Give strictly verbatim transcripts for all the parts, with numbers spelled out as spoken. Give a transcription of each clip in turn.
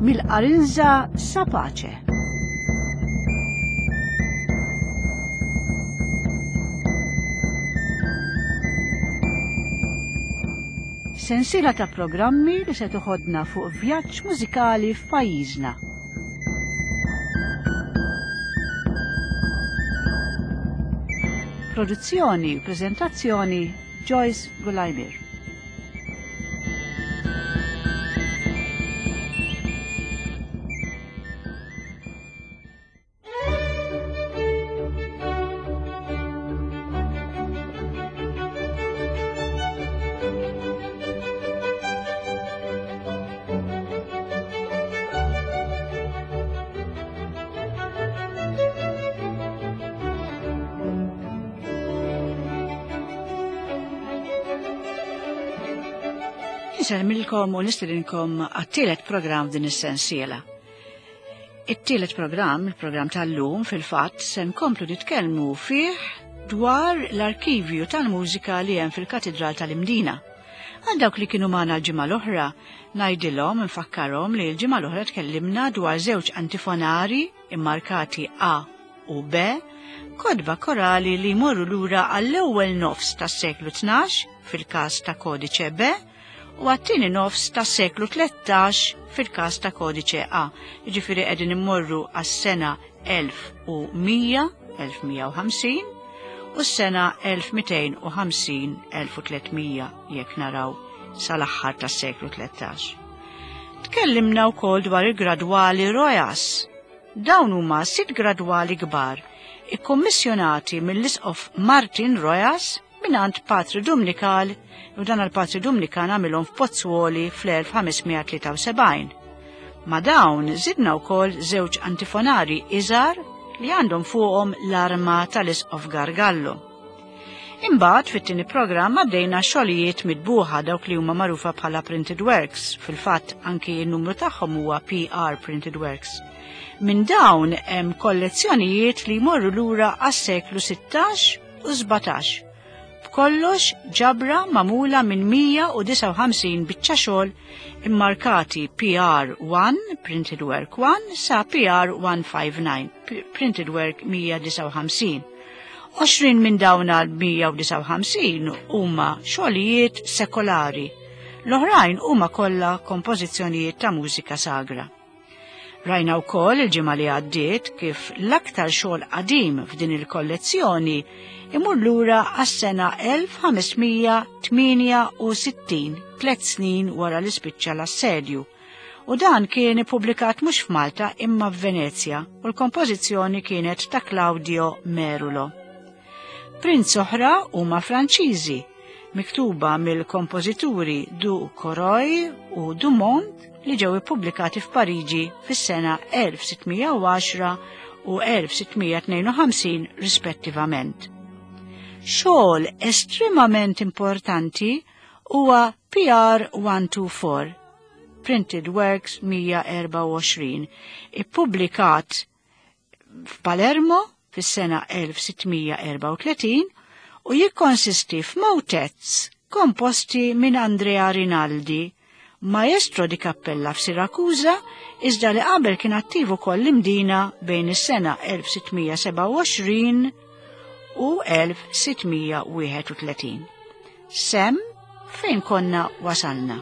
Mill-Qarinża sa Pace. Sensiela ta' programmi li se toħodna fuq vjaġġ mużikali f'pajjiżna. Produzzjoni u preżentazzjoni Joyce Gulajmir. Insellmilkom u nistedinkom għat-tielet programm din is-sensiela. It-tielet programm, il-programm tal-lum, fil-fatt se nkomplu nitkellmu fih dwar l-arkivju tal-mużika li hemm fil-Katidral tal-Imdina. Għal dawk li kienu magħna l-ġimgħa l-oħra, ngħidilhom nfakkarhom li l-ġimgħa l-oħra tkellimna dwar żewġ antifonari immarkati A u B, kodba korali li jmorru lura għall-ewwel nofs tas-seklu tnax fil-każ ta' kodiċe B u għat-tieni nofs tas-seklu tlettax fil-każ ta' kodiċe A. Jiġifieri qegħdin immorru għas-sena elf u mija, elf mija u ħamsin, u s-sena elf mitejn u ħamsin, elf u tletmija jekk naraw sal-aħħar tas-seklu tlettax. Tkellimna wkoll dwar il-gradwali Rojas. Dawn huma sitt gradwali kbar ikkommissjonati mill-Isqof Martin Rojas mingħand Patri Dumnikal, u dan għal-Patri Dumnikan għamilhom f'Pozzuoli fl-elf ħames mija tlieta u sebgħin. Ma' dawn żidna wkoll żewġ antifonari iżgħar li għandhom fuqhom l-arma tal-Isqof Gargallo. Imbagħad fit-tieni programm għaddejna xogħlijiet mitbuħa dawk li huma magħrufa bħala printed works, fil-fatt anki n-numru tagħhom huwa P R Printed Works. Minn dawn hemm kollezzjonijiet li jmorru lura għas-seklu sittax u sbatax. B'kollox ġabra magħmula minn mija u disgħa u ħamsin biċċa xogħol immarkati P R one, Printed Work one, sa P R one five nine, P-, Printed Work mija disgħa u ħamsin. Għoxrin minn dawn għal mija u disgħa u ħamsin huma xogħlijiet sekolari. L-oħrajn huma kollha kompożizzjonijiet ta' mużika sagra. Rajna wkoll il-ġimgħa li għaddiet kif l-aktar xogħol qadim f'din il-kollezzjoni imur lura għas-sena elf ħames mija tmienja u sittin, tliet snin wara li spiċċa l-assedju. U dan kien ippubblikat mhux f'Malta imma f'Venezja u l-kompożizzjoni kienet ta' Claudio Merulo. Prints oħra huma Franċiżi, miktuba mill-kompożituri Du Coroy u Dumont li ġew ippubblikati f'Pariġi fis-sena elf sittmija u għaxra u elf sittmija tnejn u ħamsin rispettivament. Xogħol estremament importanti huwa P R one two four, Printed Works mija erba' u għoxrin, ippubblikat f'Palermo fis-sena elf sittmija erba' u tletin u jikkonsisti f'motets komposti minn Andrea Rinaldi, maestro di cappella f'Siracusa, iżda li qabel kien attiv ukoll l-Imdina bejn is-sena elf sittmija sebgħa u għoxrin u elf sittmija wieħed u tletin. Sem fejn konna wasalna.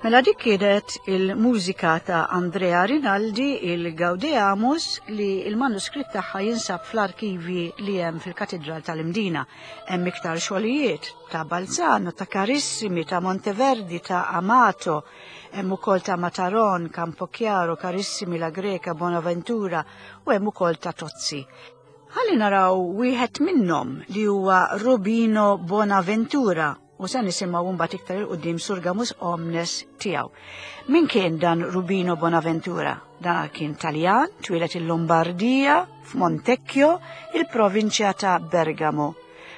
Mela dik kienet il-mużika ta' Andrea Rinaldi, il-Gaudeamus, li il-manuskritt tagħha jinsab fl-arkivi li hemm fil-Katedral tal-Imdina. Hemm iktar xogħlijiet ta' Balzano, ta' Carissimi, ta' Monteverdi, ta' Amato, hemm ukoll ta' Mataron, Campochiaro, Carissimi, La Greca, Bonaventura u hemm ukoll ta' Tozzi. Ħalli naraw wieħed minnhom li huwa Rubino Bonaventura u se nisimgħu mbagħad iktar 'il quddiem Surgamus Omnes tiegħu. Min kien dan Rubino Bonaventura? Dan kien Taljan, twieled il-Lombardija, f'Montecchio, il-provinċja ta' Bergamo.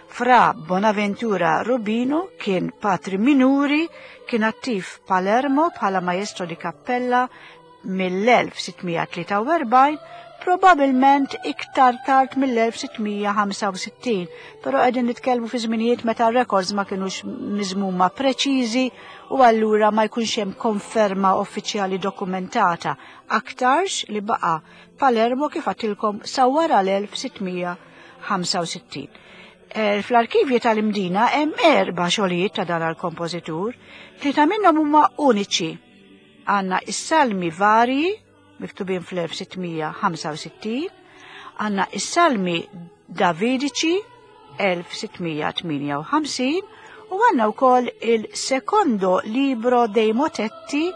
Fra Bonaventura Rubino kien patri minuri, kien attiv Palermo bħala maestro di cappella mill-elf sittmija tlieta u erbgħin, probabilment iktar tard mill-elf sittmija ħamsa u sittin, però qegħdin nitkellmu fi żminijiet meta records ma kinux miżmuma preċiżi u allura ma jkunx hemm konferma uffiċjali dokumentata. Aktarx li baqa' Palermo kif għadtilkom sa wara l-elf sittmija ħamsa u sittin. Eh, fl-arkivji tal-Imdina hemm erba' xogħlijiet ta' dan għall-kompożitur, tlieta minnhom huma uniċi. Għandna is-salmi varji miktubin fl-elf sittmija ħamsa u sittin, għandna is-salmi Davidiċi elf sittmija tmienja u ħamsin u għandna wkoll il-Secondo Libro dei Motetti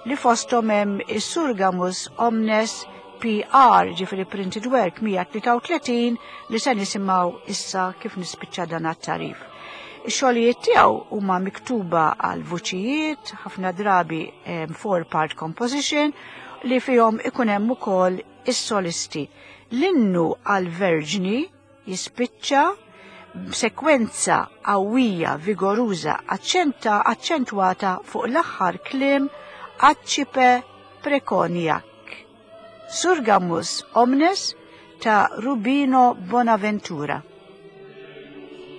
li fosthom hemm is-Surgamus Omnes P R, ġifieri Printed Work mija tlieta u tletin li se nisimgħu issa kif nispiċċa dan għat-tarif. Ix-xogħlijiet tiegħu huma miktuba għal vuċijiet, ħafna drabi, em, four-part composition, li fihom ikun hemm ukoll is-solisti. L-innu għal-Verġni jispiċċa b'sekwenza qawwija, vigoruża, aċċenta, aċċentwata fuq l-aħħar kliem Accipe Preconiac. Surgamus Omnes ta' Rubino Bonaventura. Thank you.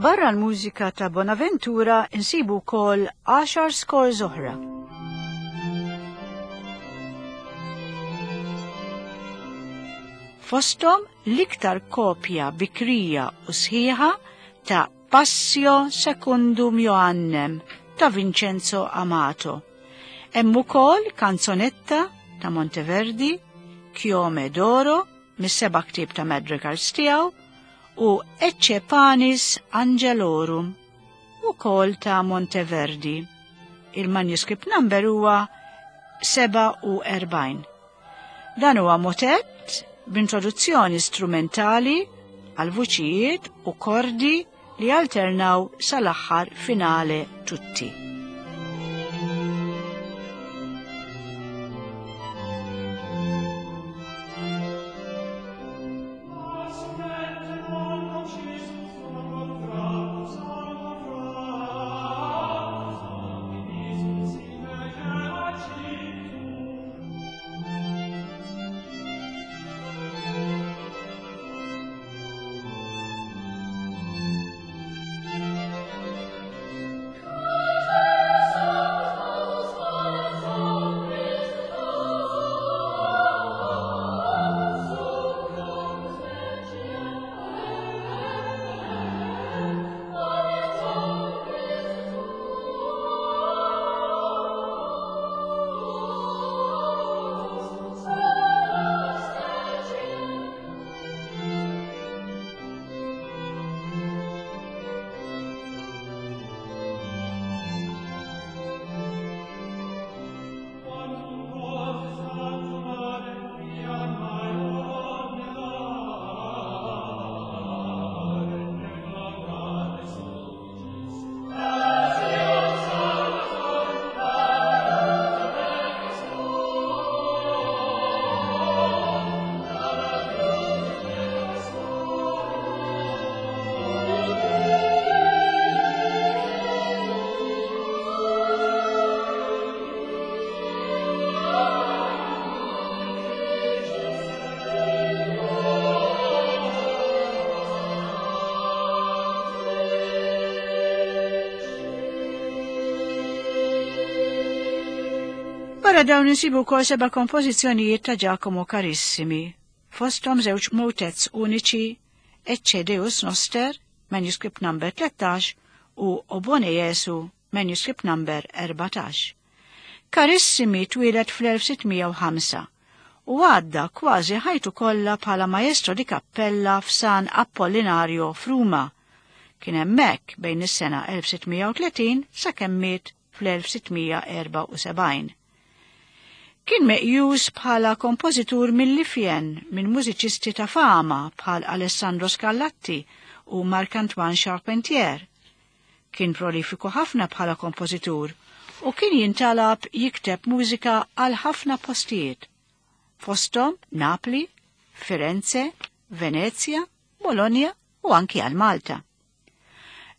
Barra l-mużika ta' Bonaventura insibu wkoll għaxar scores oħra. Fosthom l-iktar kopja bikrija u sħiħa ta' Passio Secundum Joannem ta' Vincenzo Amato. Hemm ukoll kanzonetta ta' Monteverdi, Chiome d'Oro, mis-seba' ktieb ta' madrigals tiegħu, u Ecce Panis Angelorum, ukoll ta' Monteverdi. Il-manuscript number huwa seba' u erbgħin. Dan huwa motett b'introduzzjoni strumentali għal vuċijiet u kordi li alternaw sal-aħħar finale tutti. Wara dawn insibu wkoll seba' kompożizzjonijiet ta' Giacomo Carissimi, fosthom żewġ motets uniċi, Ecce Deus Noster, manuscript number tlettax, u O Bone Jesu, manuscript number erbatax. Carissimi twieled fl-elf sittmija u ħamsa u għadda kważi ħajtu kollha bħala maestro di cappella f'San Apollinario f'Ruma. Kien hemmhekk bejn is-sena elf sittmija u tletin sakemm miet fl-elf sittmija erba' u sebgħin. Kien meqjus bħala kompożitur mill-Lifjen minn mużiċisti ta' fama bħal Alessandro Scarlatti u Marc-Antoine Charpentier. Kien prolifiku ħafna bħala kompożitur u kien jintalab jikteb mużika għal ħafna postijiet, fosthom Napli, Firenze, Venezia, Bologna u anki għal Malta.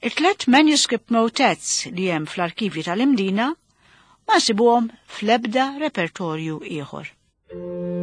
It-tlet manuscript motets li hemm fl-arkivji tal-Imdina ma nsibuhom fl-ebda repertorju ieħor. Thank you.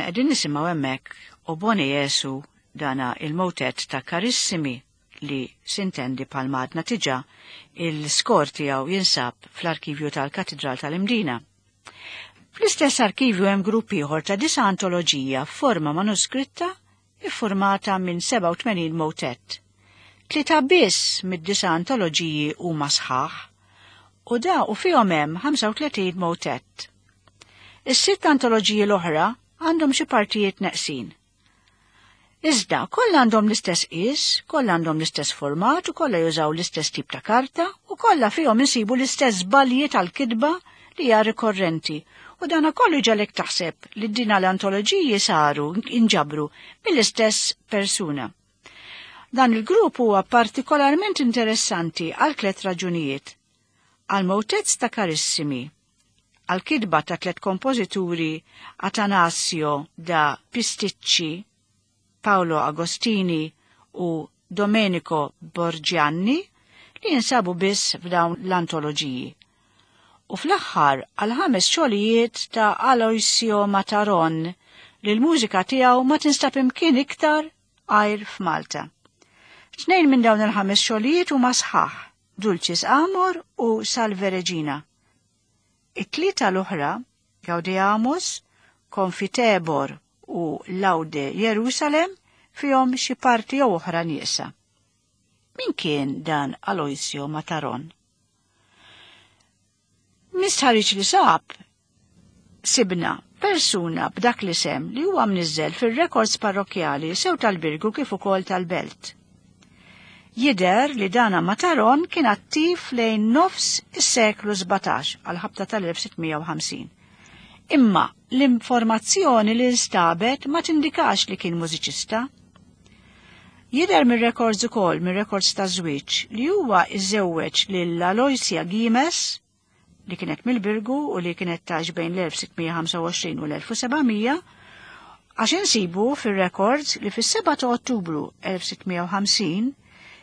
Konna qegħdin nisimgħu hemmhekk O Bone Jesu dana il-motet ta' Carissimi li sintendi palmadna tiġa il-skor tiegħu jinsab fl-arkivju tal-Katedral tal-Imdina. Fl-istess arkivju hemm grupp ieħor ta' disa' antoloġija f'forma manuskritta iffurmata minn sebgħa u tmenin motet. Tlieta biss mid-disa' antoloġiji huma sħaħ u da u fihom hemm ħamsa u tletin motet. Is-sitt antoloġiji l-oħra għandhom xi partijiet neqsin. Iżda, kollha għandhom l-istess qies, kollha għandhom l-istess format u kollha jużaw l-istess tip ta' karta u kollha fihom insibu l-istess żbalji tal-kitba li hija rikorrenti. U dana kollu ġalek taħseb li din l-antoloġiji saru inġabru mill-istess persuna. Dan il-grupp huwa partikolarment interessanti għal tliet raġunijiet. Għal motets ta' Carissimi, għal kitba ta' tliet kompożituri Atanasio da Pisticci, Paolo Agostini u Domenico Borgianni li jinsabu biss f'dawn l-antoloġiji. U fl-aħħar għal ħames xogħlijiet ta' Aloisio Mataron li l-mużika tiegħu ma tinstab imkien iktar għajr f'Malta. Tnejn minn dawn il-ħames xogħlijiet huma sħaħ, Dulcis Amor u Salve Regina. It-tlieta l-oħra, Gaudeamus, Confitebor u Laude Jerusalem, fihom xi parti jew oħra nieqsa. Min kien dan Aloisio Mataron? Mistħarriġ li sab sibna persuna b'dak l-isem li huwa mniżżel fir-rekords parrokjali sew tal-Birgu kif ukoll tal-Belt. Jidher li dana Mataron kien attiv lejn nofs is-seklu sbatax għal ħabta tal-elf sittmija u ħamsin. Imma l-informazzjoni li nstabet ma tindikax li kien mużiċista. Jidher mir-rekords ukoll mir-rekords ta' żwieġ li huwa iżewweġ lil Aloysia Gimes li kienet mill-Birgu u li kienet tax bejn l-elf sittmija ħamsa u għoxrin u l-elf u sebgħamija, għax insibu fir-rekords li fis-seba' ta' Ottubru elf sittmija u ħamsin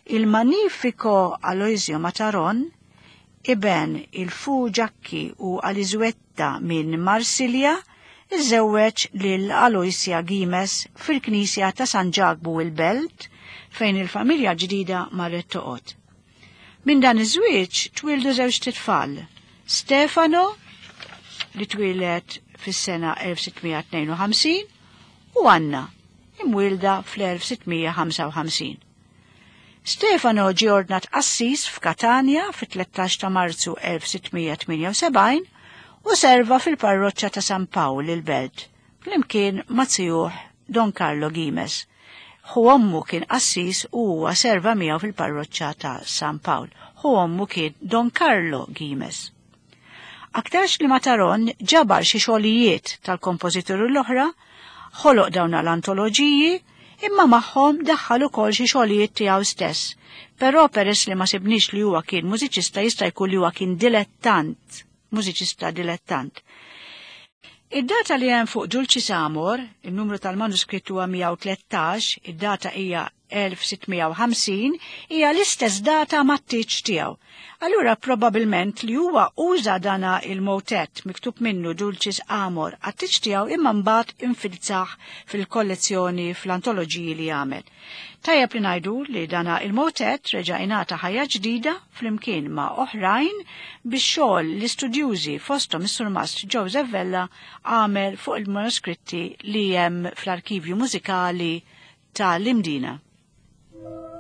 il-Magnifico Aloisio Mataron iben il-Fu Ġakki u Alizuetta minn Marsilja iżewweġ lil Aloysia Gimes fil-Knisja ta' San Ġakbu il-Belt fejn il-familja ġdida marret toqgħod. Minn dan iż-żwieġ twildu żewġ titfal, Stefano li twieled fis-sena elf sittmija tnejn u ħamsin u Anna imwielda fl-elf sittmija ħamsa u ħamsin. Stefano ġie ordnat qassis f'Katania fit-tlettax ta' Marzu elf sittmija tmienja u sebgħin u serva fil-parroċċa ta' San Pawl il-Belt flimkien ma' zijuh Don Carlo Gimes. Hu ommu kien qassis u huwa serva miegħu fil-parroċċa ta' San Pawl. Hu ommu kien Don Carlo Gimes. Aktarx li Mataron ġabar xi xogħlijiet tal-kompożituri l-oħra, ħoloq dawn l-antoloġiji, imma magħhom daħħal ukoll xi xogħlijiet tiegħu stess. Però peress li ma sibniex li huwa kien mużiċista, jista' jkun li huwa kien dilettant, mużiċista dilettant. Id-data li hemm fuq Dulcis Amor, il-numru tal-manuskritt huwa mija u tlettax, id-data hija elf sittmija u ħamsin, hija l-istess data mat-tieġ tiegħu. Allura probabilment li huwa uża dana il-motet miktub minnu Dulcis Amor għat-tieġ tiegħu imma mbagħad infilzah fil-kollezzjoni fl-antoloġiji li għamel. Tajjeb li ngħidu li dana il-motet reġa' ingħata ħajja ġdida flimkien ma' oħrajn biex xogħol l-istudjużi fosthom is-surmast Joseph Vella għamel fuq il-manuskritti li hemm fl-arkivju mużikali tal-Imdina. Thank you.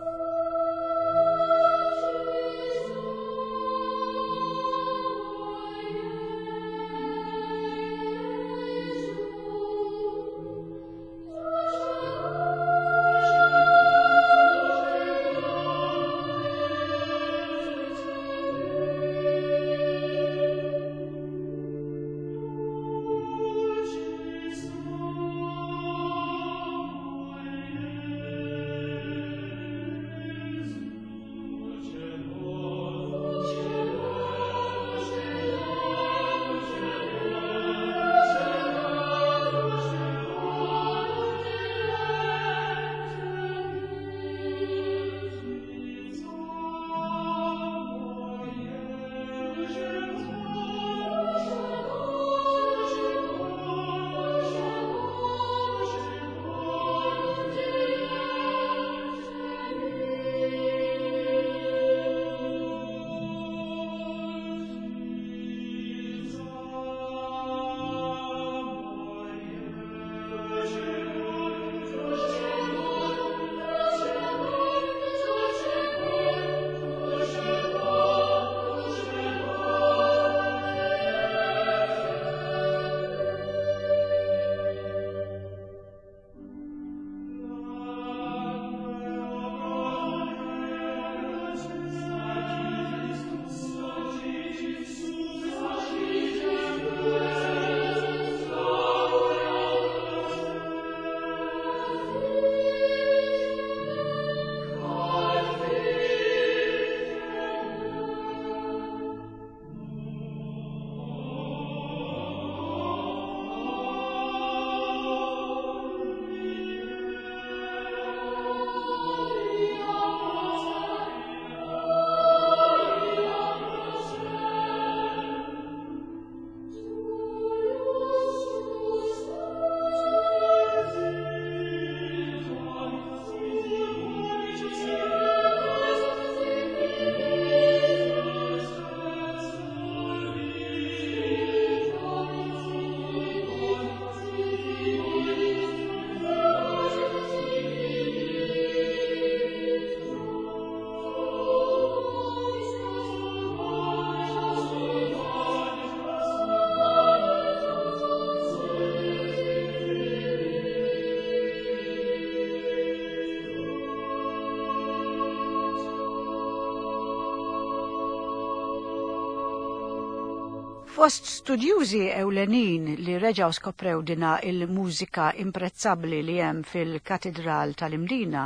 Fost studjużi ewlenin li reġaw skoprew dina il-mużika imprezzabbli li hemm fil-Katedral tal-Imdina,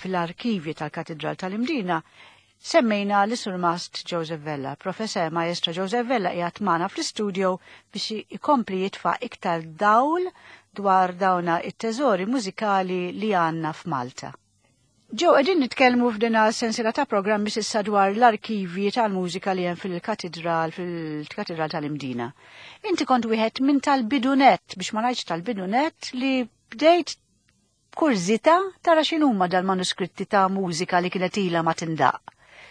fil-arkivi tal-Katedral tal-Imdina, semmejna l-Surmast Joseph Vella. Professor Maestro Joseph Vella qiegħed magħna fl-istudio biex ikompli jitfa' iktar dawl dwar dawna it-teżori mużikali li għandna f'Malta. Ġew qegħdin nitkellmu f'dina sensiela ta' programmi s'issa dwar l-arkivji tal-mużika li hemm fil-katedral fil-katedral tal-Imdina. Inti kont wieħed minn tal-bidunet, biex ma ngħidx tal-bidunet, li bdejt kurżità tara x'inhuma dal-manuskritti ta' mużika li kienet ilha ma tindaq.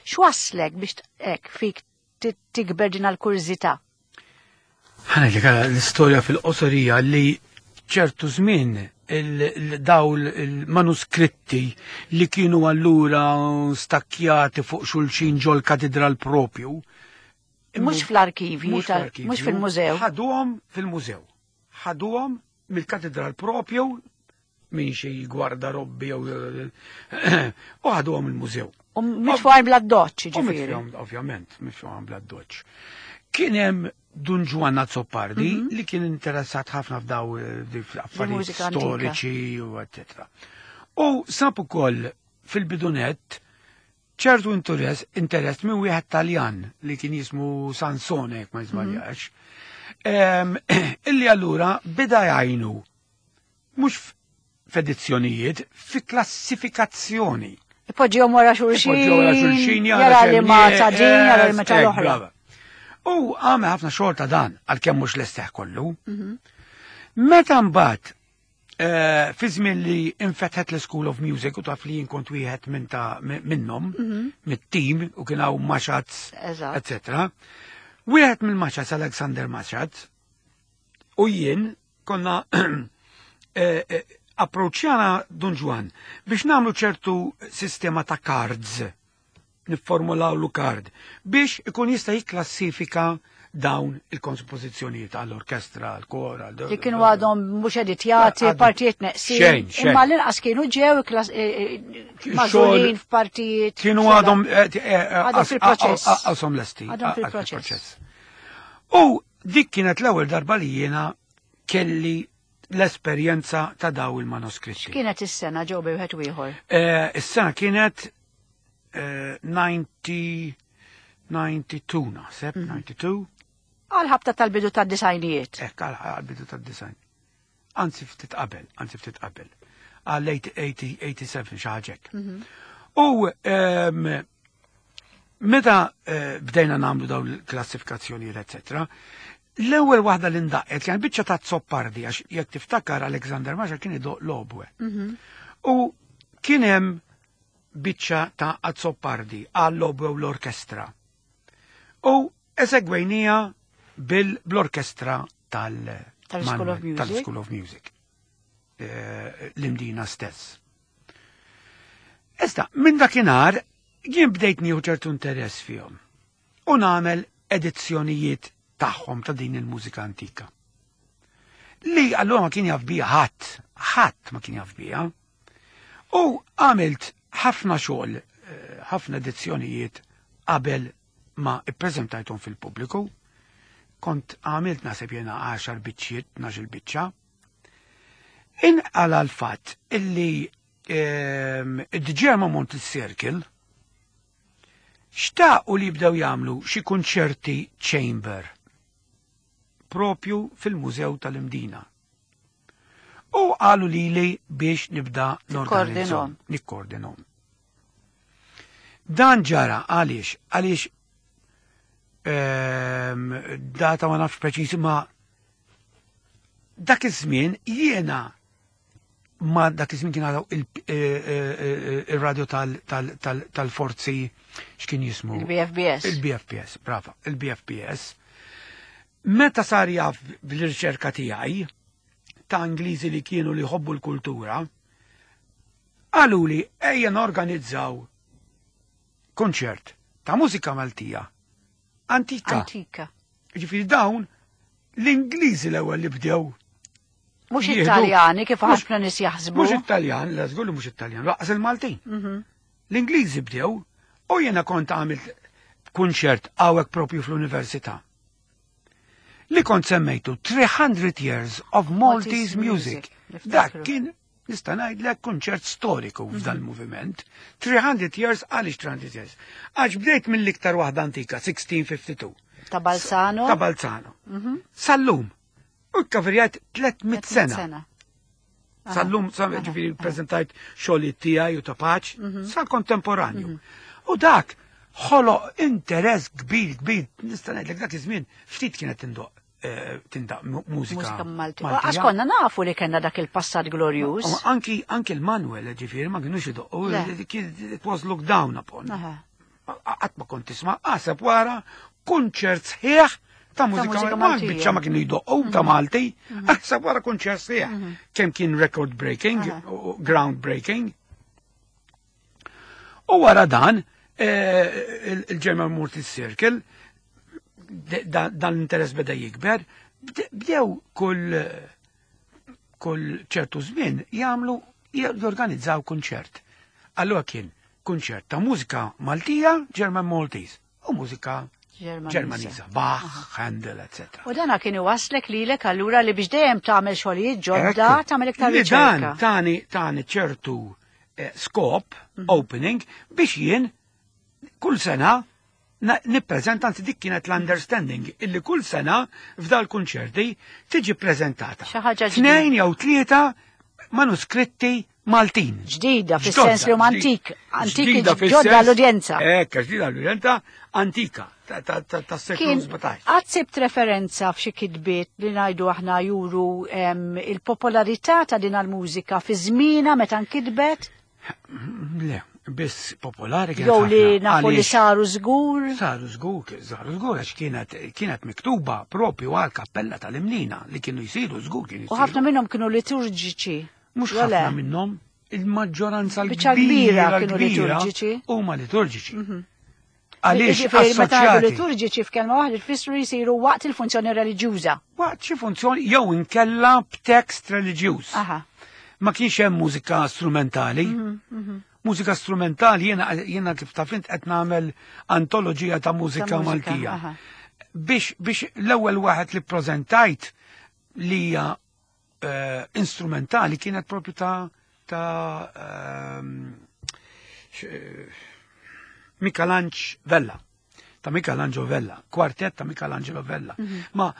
X'waslek biex hekk fik tikber din l-kurżità? Ħa ngħidlek l-istorja fil-qosorija li ċertu żmien il-dawl il-manuskritti li kienu allura stakkjati fuq xulxin ġol katedral propju. Mhux fl-arkivi, mhux fil-mużew. Ħaduhom fil-mużew. Ħaduhom mill-katedral propju minn xi gwardarobbi jew u ħaduhom il-mużew. U mitfuqajn bla doċċ, ġifieri. Ovvjament, mitfuqajn bla doċċ. Kien hemm Dun Ġwanna Azzopardi mm -hmm. li kien interessat ħafna f'daw affarijiet storiċi u eccetera. U sab ukoll fil-bidunet ċertu interess interess minn wieħed Taljan li kien jismu Sansone jekk ma jiżbaljax. Mm -hmm. Illi allura beda jgħinu mhux f'edizzjonijiet, fi klassifikazzjoni. Ipoġġihom wara xulxin. Ipoġġihom wara xulxin, jara li ma ta' din, jara li ma ta' l-oħra. U għamel ħafna xogħol ta' dan, għalkemm mhux l-esteħ kollu. Meta mbagħad fi żmien li infetħet l-School of Music u taf li jien kont wieħed minn ta' minnhom, mit-tim u kien hawn Machats, eccetera. Wieħed mill-Machats, Alexander Machats, u jien konna approċċjana Dun Ġwan biex nagħmlu ċertu sistema ta' cards, nifformulaw lu card biex ikun jista' jikklassifika dawn il-kompożizzjonijiet għall-orkestra, għall-kor, għall Li kienu għadhom mhux editjati, partijiet neqsin. Imma l-inqas kienu ġew magħżulin f'partijiet. Kienu għadhom għadhom fil-proċess. Għadhom lesti. Għadhom fil-proċess. U dik kienet l-ewwel darba li jiena kelli l-esperjenza ta' daw il-manuskritti. Kienet is-sena ġew bejn wieħed u ieħor? Is-sena kienet ninety ninety-two naħseb, ninety-two. Għal-ħabta tal-bidu tad-disajnijiet. Ekk, għal-bidu tad-disajn. Anzi ftit qabel, anzi ftit qabel. Għal eighty-seven xi ħaġa hekk. U meta bdejna nagħmlu dawn il-klassifikazzjonijiet, eccetera, l-ewwel waħda li ndaqet kien biċċa ta' Azzopardi, għax jekk tiftakar Alexander Maxa kien idoq l-obwe. U kien hemm biċċa ta' Azzopardi għall-obwe u l-orkestra. U esegwejnija bil-orkestra tal-School of Music. Tal-School of Music. L-Imdina stess. Issa, minn dakinhar jien bdejt nieħu ċertu interess fihom. U nagħmel edizzjonijiet tagħhom ta' din il-mużika antika. Li allura ma kien jaf bija ħadd, ħadd ma kien jaf bija. U għamilt ħafna xogħol, ħafna edizzjonijiet qabel ma ippreżentajthom fil-pubbliku. Kont għamilt naħseb jiena għaxar biċċiet, tnax-il biċċa. Inqala l-fatt illi id-German Monte Circle xtaqu li jibdew jagħmlu xi kunċerti chamber propju fil-Mużew tal-Imdina. U qalu lili biex nibda norganizzahom, nikkoordinom. Dan ġara għaliex, għaliex data ma nafx preċiż, ma dak iż-żmien jiena ma dak iż-żmien kien għadaw il-radio tal-forzi x'kien jismu? Il-B F B S. Il-B F B S, brava, il-B F B S. Meta sar jaf bil-riċerka tiegħi ta' Ingliżi li kienu li jħobbu l-kultura, qalu li ejja norganizzaw konċert ta' mużika Maltija antika. Antika. Ġifieri dawn l-Ingliżi l-ewwel li bdew. Mhux Jieħdu. Italjani kif Mhux ħafna nies jaħsbu. Mhux Italjan, la żgur li mhux Italjan, laqas il-Maltin. Mhm. L-Ingliżi bdew u jiena kont għamilt kunċert hawnhekk propju fl-università. Li kont semmejtu three hundred Years of Maltese Music. Dak kien, nista' ngħidlek, kunċert storiku f'dan il-moviment. three hundred years, għaliex three hundred years? Għax bdejt mill-iktar waħda antika, sixteen fifty-two. Ta' Balzano. Ta' Balzano. Sal-lum. U kkaverjajt tliet mitt sena. Sal-lum, ġifieri, prezentajt xogħli tiegħi u ta' Pace, sal-kontemporanju. U dak ħoloq interess kbir, kbir, nista' ngħidlek dak iż-żmien ftit kienet tindoq eh, tindaq mużika. Mużika Malti. Għax konna nafu li kellna dak il-passat glorjuż. Anki anki l-Manuel, ġifieri, ma kienux idoqqu, it was looked down upon. Qatt ma kont tisma' qaseb wara kunċert sħiħ ta' mużika Malti. Biċċa ma kienu jdoqqu ta' mhm. Malti, mhm. aħseb wara kunċert sħiħ. Mhm. Kemm kien record breaking, ground breaking. U wara dan, eh, il-German Maltese Circle, dan l-interess beda jikber, bdew kull kull ċertu żmien jagħmlu, jorganizzaw kunċert. Allura kien kunċert ta' mużika Maltija, German Maltese, u mużika Ġermaniża, Bach, Handel, et cetera U dana kien iwaslek lilek allura li biex dejjem tagħmel xogħlijiet ġodda, tagħmel iktar riċerka. Dan tani tani ċertu eh, skop, mhm. opening, biex jien kull sena nippreżenta, anzi dik kienet l-understanding, illi kull sena f'dal kunċerti tiġi prezentata tnejn jew tlieta manuskritti Maltin. Ġdida, fis-sens li huma antik, antik, ġodda l-udjenza. Ekk, ġdida l-udjenza, antika, ta' seklu sbatax. Qatt sibt referenza f'xi kitbiet li ngħidu aħna juru il-popolarità ta' din il-mużika fi żmienha meta nkitbet? Le, biss popolari kienet. Jew li nafu li saru żgur. Saru żgur, saru żgur, għax kienet kienet miktuba propju għal kappella tal-Imnina li kienu jsiru żgur kienu U ħafna minnhom kienu liturġiċi. Mhux ħafna minnhom, il-maġġoranza l-kbira kienu liturġiċi. Huma liturġiċi. Mhm. Għaliex meta liturġiċi, f'kelma waħda tfissru jsiru waqt il-funzjoni reliġjuża. Waqt xi funzjoni jew inkella b'tekst reliġjuż. Ma kienx hemm mużika strumentali. Mhm, mhm. Mużika strumentali jiena jiena kif taf int qed nagħmel antoloġija ta' mużika Maltija. Biex biex l-ewwel waħed li preżentajt li hija uh, instrumentali kienet propju ta' ta' um, Michelangelo Vella. Ta' Michelangelo Vella, kwartet ta' Michelangelo Vella. Mm -hmm. Ma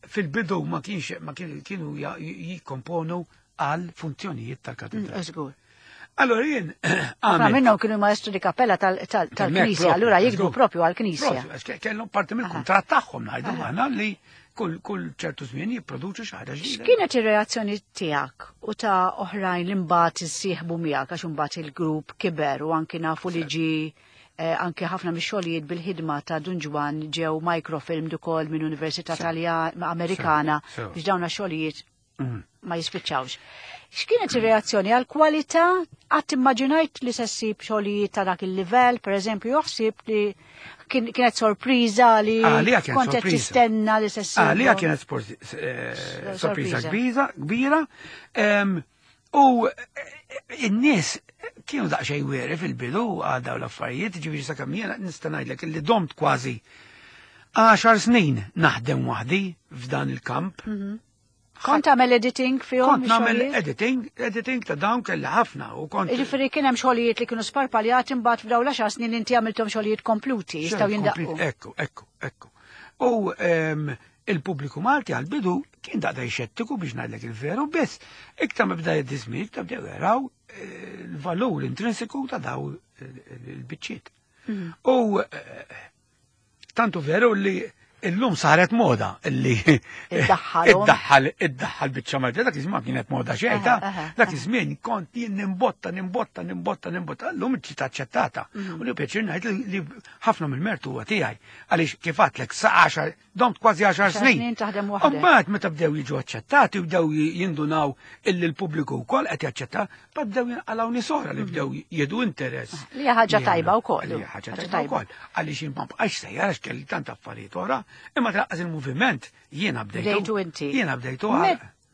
fil-bidu ma kienx ma kienu jikkomponu għal funzjonijiet tal-katedral. Mm, Allora jien Għamil minnhom kienu maestro di cappella tal-Knisja, allura jiktbu propju għal-Knisja. Kellhom parti mill-kuntratt tagħhom, ngħidu aħna, li kull kull ċertu żmien jipproduċu xi ħaġa ġdida. X'kienet ir-reazzjoni tiegħek u ta' oħrajn li mbagħad issieħbu miegħek, għax imbagħad il-grupp kiber u anki nafu li ġi eh, anke ħafna mix-xogħlijiet bil-ħidma ta' Dun Ġwann ġew microfilmed ukoll minn Università Taljan Amerikana biex dawn xogħlijiet mm. ma jispiċċawx. X'kienet ir-reazzjoni għal kwalità? Qatt immaġinajt li se ssib xogħlijiet ta' dak il-livell, pereżempju, joħsib li kienet sorpriża li kont qed tistenna li se ssib? Għalija kienet eh, sorpriża kbira, kbira. U eh, in-nies kienu daqsxejn wary fil-bidu għal dawn l-affarijiet, ġifieri sakemm jiena nista' ngħidlek li domt kważi għaxar snin naħdem waħdi f'dan il-kamp. Mhm. Kont tagħmel editing fihom? Kont nagħmel editing, editing ta' dawn kelli ħafna u kont. Jiġifieri kien hemm xogħlijiet li kienu sparpaljati, imbagħad f'dawn l-għaxar snin inti għamilthom xogħlijiet kompluti jistgħu jindaqqu. Ekku, ekku, ekku. U il-pubbliku Malti għal-bidu kien daqda xettiku, biex ngħidlek il-veru, biss iktar ma bda jiddiżmin, iktar bdew jaraw eh, il-valur intrinsiku ta' daw il-biċċiet. Mhm. U eh, tantu veru li illum saret moda illi iddaħħal iddaħħal biċċa Malti. Dak iż-żmien kienet moda xejn, dak iż-żmien kont jien nimbotta, nimbotta, nimbotta, nimbotta, llum ġiet aċċettata. Mhm. U li pjaċir ngħid li ħafna mill-mertu huwa tiegħi, għaliex kif għedtlek sa għaxar, domt kważi għaxar snin. Mbagħad meta bdew jiġu aċċettati u bdew jindunaw illi l-pubbliku wkoll qed jaċċetta, bdew jinqalgħu nies oħra li bdew jieħdu interess. Li ħaġa tajba wkoll. Li ħaġa tajba wkoll. Għaliex jien ma bqax sejjer għax kelli tant affarijiet oħra, imma tlaqqas il-moviment jiena bdejtu. Bdejtu inti. Jiena bdejtu.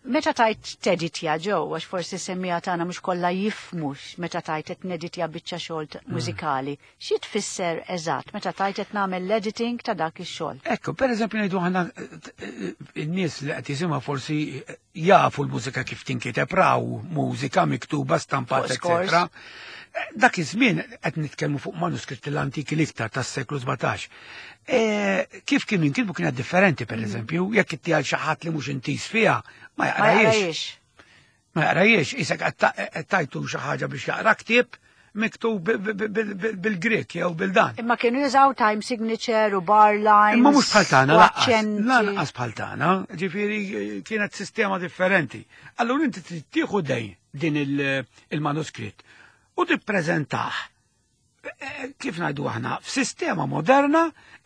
Meta tajt teditja ġew, għax forsi semmija tagħna mhux kollha jifhmux meta tajt qed neditja biċċa xogħol mm. mużikali. Xi tfisser eżatt meta tajt qed nagħmel l-editing ta' dak ix-xogħol? Ekku, pereżempju ngħidu aħna in-nies li qed jisimgħu forsi jafu l-mużika kif tinkiteb, raw mużika miktuba, stampata, eċetera. Dak iż-żmien qed nitkellmu fuq manuskritti l-antiki l-iktar tas-seklu sbatax. E, kif kienu jinkitbu kienet differenti, per eżempju, jekk inti għal xi ħadd li mhux intis fiha, ma jaqrajiex. Ma jaqrajiex, isek qed tajtu xi ħaġa biex jaqra ktieb miktub bil-Grek jew bil-dan. Imma kienu jużaw time signature u bar lines. Imma mhux bħal tagħna lanqas. Lanqas bħal tagħna, ġifieri kienet sistema differenti. Allura inti trid tieħu dejn din il-manuskritt u tippreżentah kif ngħidu aħna f'sistema moderna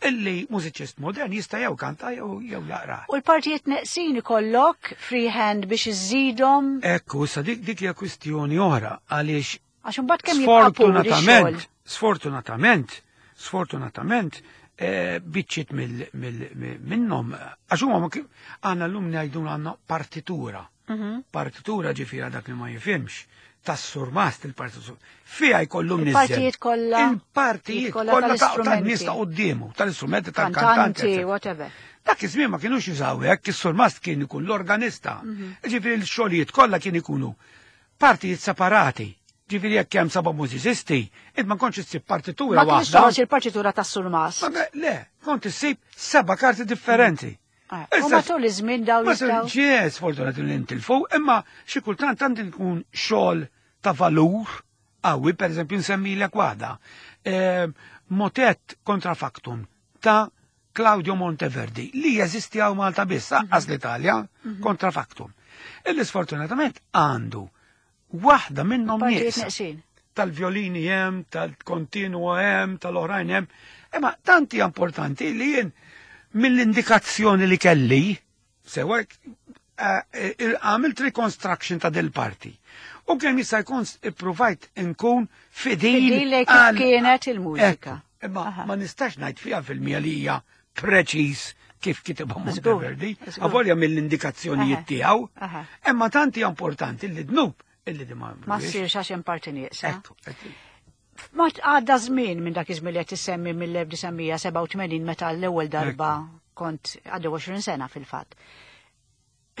illi mużiċist modern jista' jew kanta jew jew jaqra. U l-partijiet neqsin ikollok freehand biex iżidhom. Ekku, issa dik dik hija kwistjoni oħra għaliex għax imbagħad kemm jibqa' sfortunatament, sfortunatament, sfortunatament biċċiet minnhom għax huma għandna llum ngħidu għandna partitura. Partitura ġifiera dak li ma jifhimx tas-surmast il-partitura. Fija jkollu mniżżel. Il-partijiet kollha. Il-partijiet kollha tan-nies ta' quddiemu, tal-istrumenti tal-kantanti. Whatever. Dak iż-żmien ma kienux jużaw hekk, is-surmast kien ikun l-organista. Ġifieri l-xogħlijiet kollha kien ikunu partijiet separati. Ġifieri jekk hemm seba' mużiċisti, int ma kontx issib partitura waħda. Ma kienx il-partitura tas-surmast. Le, kont issib seba' karti differenti. U matul iż-żmien dawn jistgħu. Ġie, sfortunatament li ntilfu, imma xi kultant għandi nkun xogħol ta' valur qawwi, pereżempju nsemmilek waħda. Motet kontrafactum ta' Claudio Monteverdi li jeżisti hawn Malta biss, anqas l-Italja, kontrafactum. Illi sfortunatament għandu waħda minnhom nieqsa. Tal-violini hemm, tal-kontinua hemm, tal-oħrajn hemm. Imma tanti importanti li jien mill-indikazzjoni li kelli, sewa għamilt reconstruction ta' del parti. U kemm jista' jkun ippruvajt inkun fidil fidil kif kienet il-mużika. Imma ma nistax ngħid fiha fil-mija li hija preċiż kif kitibha Monteverdi, avolja mill-indikazzjonijiet tiegħu. Imma tanti importanti li dnub illi di ma Ma ssirx għax hemm parti nieqsa. Ma għadda żmien minn dak iż-żmien li qed issemmi mill-elf disa' mija sebgħa u tmenin meta l-ewwel darba kont għaddew għoxrin sena fil-fatt.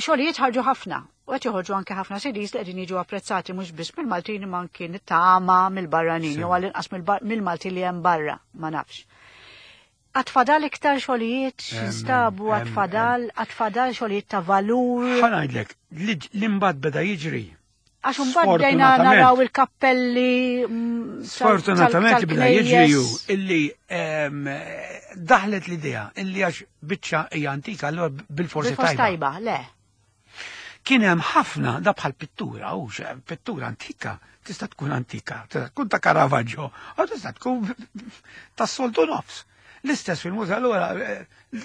Xogħlijiet ħarġu ħafna, u qed joħorġu anke ħafna C Ds li qegħdin jiġu apprezzati mhux biss mill-Maltin imma anke nittama mill-barranin jew għall-inqas mill-Malti li hemm barra, ma nafx. Għatfadal iktar xogħlijiet x'instabu, għatfadal, għatfadal xogħlijiet ta' valur. Ħa ngħidlek, li mbagħad beda jiġri. Għax imbagħad bdejna naraw il-kappelli. Sfortunatament beda jiġri ju illi daħlet l-idea illi għax biċċa hija antika allura bil-forsi tajba. Tajba, le. Kien hemm ħafna da bħal pittura, u pittura antika, tista' tkun antika, tista' tkun ta' Caravaggio, u tista' tkun tas-soltu nofs. L-istess fil-muża allura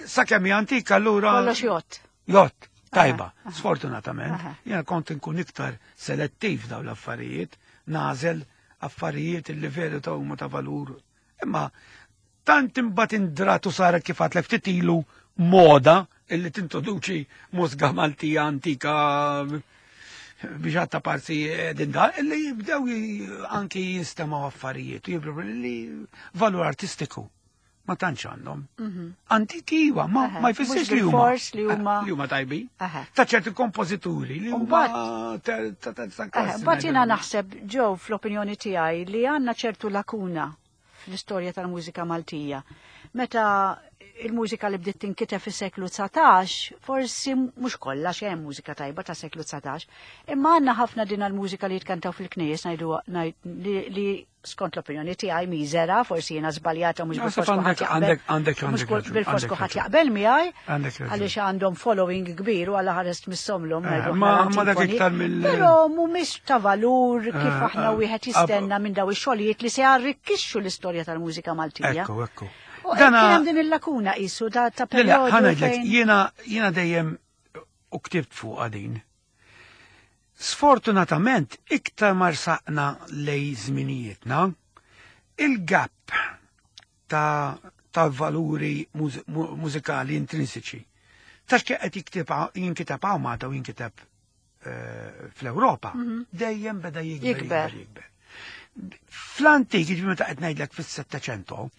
sakemm hija antika allura. Kollox jott. Jott, tajba, sfortunatament. Jiena kont inkun iktar selettiv dawn l-affarijiet, nażel affarijiet illi veru ta' huma ta' valur. Imma tant imbagħad indratu saret kif għadlek ftit ilu moda illi tintroduċi mużika Maltija antika biex għatta parti din da, illi jibdew anki jinstemaw affarijiet, jibdew li valur artistiku ma tantx għandhom. Antiki iwa, ma jfissirx li huma li huma tajbi. Ta' ċerti kompożituri li huma ta' Mbagħad jiena naħseb ġew fl-opinjoni tiegħi li għandna ċertu lakuna fl-istorja tal-mużika Maltija. Meta il-mużika li bdiet tinkiteb fis-seklu dsatax, forsi mhux kollha xejn mużika tajba ta' seklu dsatax, imma għandna ħafna din il-mużika li jitkantaw fil-knejjes ngħidu li skont l-opinjoni tiegħi miżera, forsi jiena żbaljata mhux bil-fors kulħadd jaqbel. Bil-fors kulħadd jaqbel miegħi għaliex għandhom following kbir u għal ħares tmissomlhom ngħidu. Ma dak iktar mill Però mhumiex ta' valur kif aħna wieħed jistenna minn daw ix-xogħlijiet li se jarrikkixxu l-istorja tal-mużika Maltija. Ekku, ekku. Kien hemm din il-lakuna qisu ta' perjodu. Ħa ngħidlek, jiena jiena dejjem u ktibt fuq din. Sfortunatament iktar ma rsaqna lej żminijietna, il-gap ta' ta' valuri mużikali intrinsiċi. Ta' x'qed jinkiteb hawn Malta u jinkiteb eh, fl-Ewropa dejjem beda jikber, Jikber. jikber, jikber. Fl-antik, ġifieri meta qed ngħidlek fis-Settecento,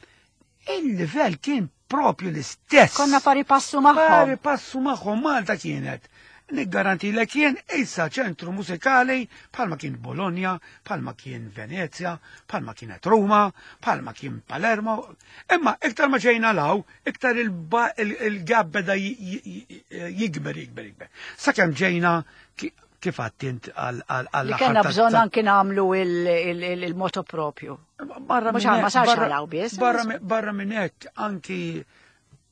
il-livell kien propju l-istess. Konna pari passu magħhom. Pari passu magħhom Malta kienet. Niggarantilek jien issa ċentru mużikali bħalma kien Bologna, bħalma kien Venezia, bħalma kienet Ruma, bħalma kien Palermo. Imma iktar ma ġejna law, iktar il-ba- il- il-gap beda j- j- jikber, jikber, jikber. Sakemm ġejna ki- kif għattint għal Li kellna bżonn anki nagħmlu il- il- il- il-moto propju. Barra Mhux minn ma hekk- sarx barra- għalaw biss. Barra mi- barra minn hekk anki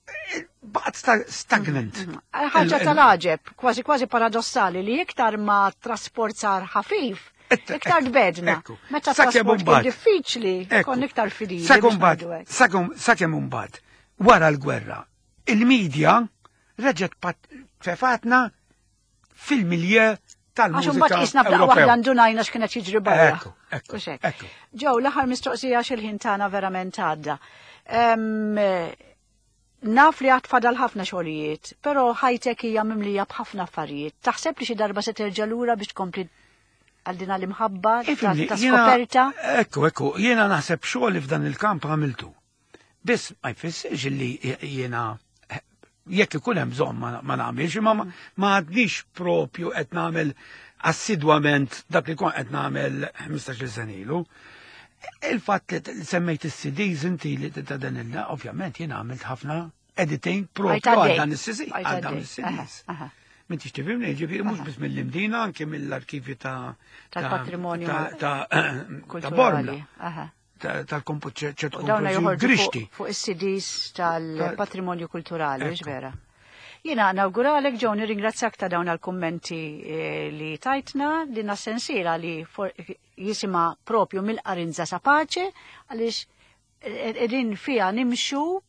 eh, baqgħet sta- stagnant. Ħaġa Il- il- tal-għaġeb, kważi kważi paradossali li iktar ma trasport sar ħafif, Et- iktar ekku, tbedna. ekku. Meta Sakemm trasport kien imbagħad. diffiċli, Ekku. kon iktar fidili. Sakemm biex mbagħad- ngħidu hekk. sakemm- sakemm imbagħad wara l-gwerra, il-medja reġgħet pat- tefatna fil-milje Għax tal-mużika imbagħad qisna f'daqqa Ewropew. waħda ndunajna x'kienet jiġri barra. Ekku, ekku, Hux hekk. ekku. Ġew, l-aħħar mistoqsija x'il-ħin tagħna verament għadda. Em, Naf li għad fadal ħafna xogħlijiet, però ħajtek hija mimlija b'ħafna affarijiet. Taħseb li xi darba se terġa' lura biex tkompli għal din l-imħabba ta' Ifhimni, ta' jiena- skoperta? Ekku, ekku, jiena naħseb xogħol f'dan il-kamp għamiltu. Biss ma jfissirx li jiena jekk ikun hemm bżonn ma ma nagħmilx, imma ma- ma għadnix propju qed nagħmel assidwament dak li kont qed nagħmel ħmistax-il sena ilu. Il-fatt li semmejt is-C Ds inti li ta' dan il ovvjament jiena għamilt ħafna editing propju Għajt għaddej. għal dan is-C D, Għajt għal dawn għaddej. is-C Ds. Aha, aha. M'intix tifhimni, ġifieri mhux biss mill-Imdina, anke mill-arkivju ta' ta' Tal-patrimonju ta' ta' ta' kulturali. Bormla, Aha. tal-kompo ċertu U dawna kompożizzjoni joħorġu Grixti. fuq fuq is-C Ds tal-patrimonju kulturali, Ekku. vera. Jiena nawguralek ġew nirringrazzjak ta' dawn għal-kummenti eh, li tajtna din sensiela li for- jisimha propju mill-Arinza sa Pace, għaliex qegħdin fiha nimxu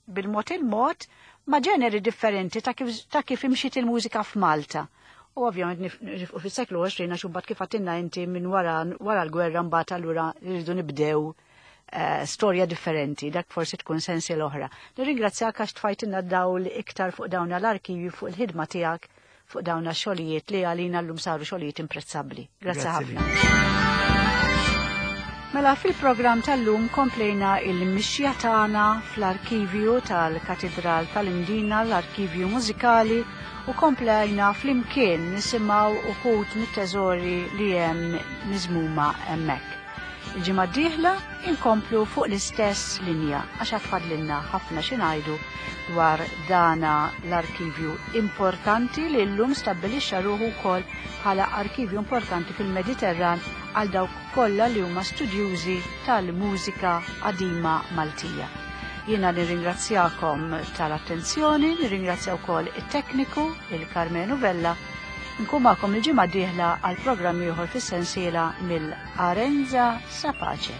bil-mod il-mod ma' ġeneri differenti ta' kif, ta' kif imxiet il-mużika f'Malta. U ovvjament nif- nifqu fis-seklu għoxrin għax imbagħad kif għedtilna inti minn wara wara l-gwerra mbagħad allura rridu nibdew eh, storja differenti, dak forsi tkun sensiela oħra. Nirringrazzjak għax tfajtilna dawl iktar fuq dawn l-arkivju, fuq il-ħidma tiegħek, fuq dawn xogħlijiet li għalina llum saru xogħlijiet imprezzabbli. Grazzi Grazzi ħafna. Mela fil-programm tal-lum komplejna il-mixja tagħna fl-arkivju tal-Katidral tal-Imdina, l-arkivju mużikali, u komplejna flimkien nisimgħu uħud mit-teżori li hemm miżmuma hemmhekk. Il-ġimgħa d-dieħla inkomplu fuq l-istess linja għax għad fadlilna ħafna xi ngħidu dwar dana l-arkivju importanti li llum stabbilixxa ruħu wkoll bħala arkivju importanti fil-Mediterran għal dawk kollha li huma studjużi tal-mużika qadima Maltija. Jiena nirringrazzjakom tal-attenzjoni, nirringrazzja wkoll it-tekniku, il-Carmenu Vella. Nkun magħkom il-ġimgħa d-dieħla għal programm ieħor fis-sensiela mill-Arenza sa Pace.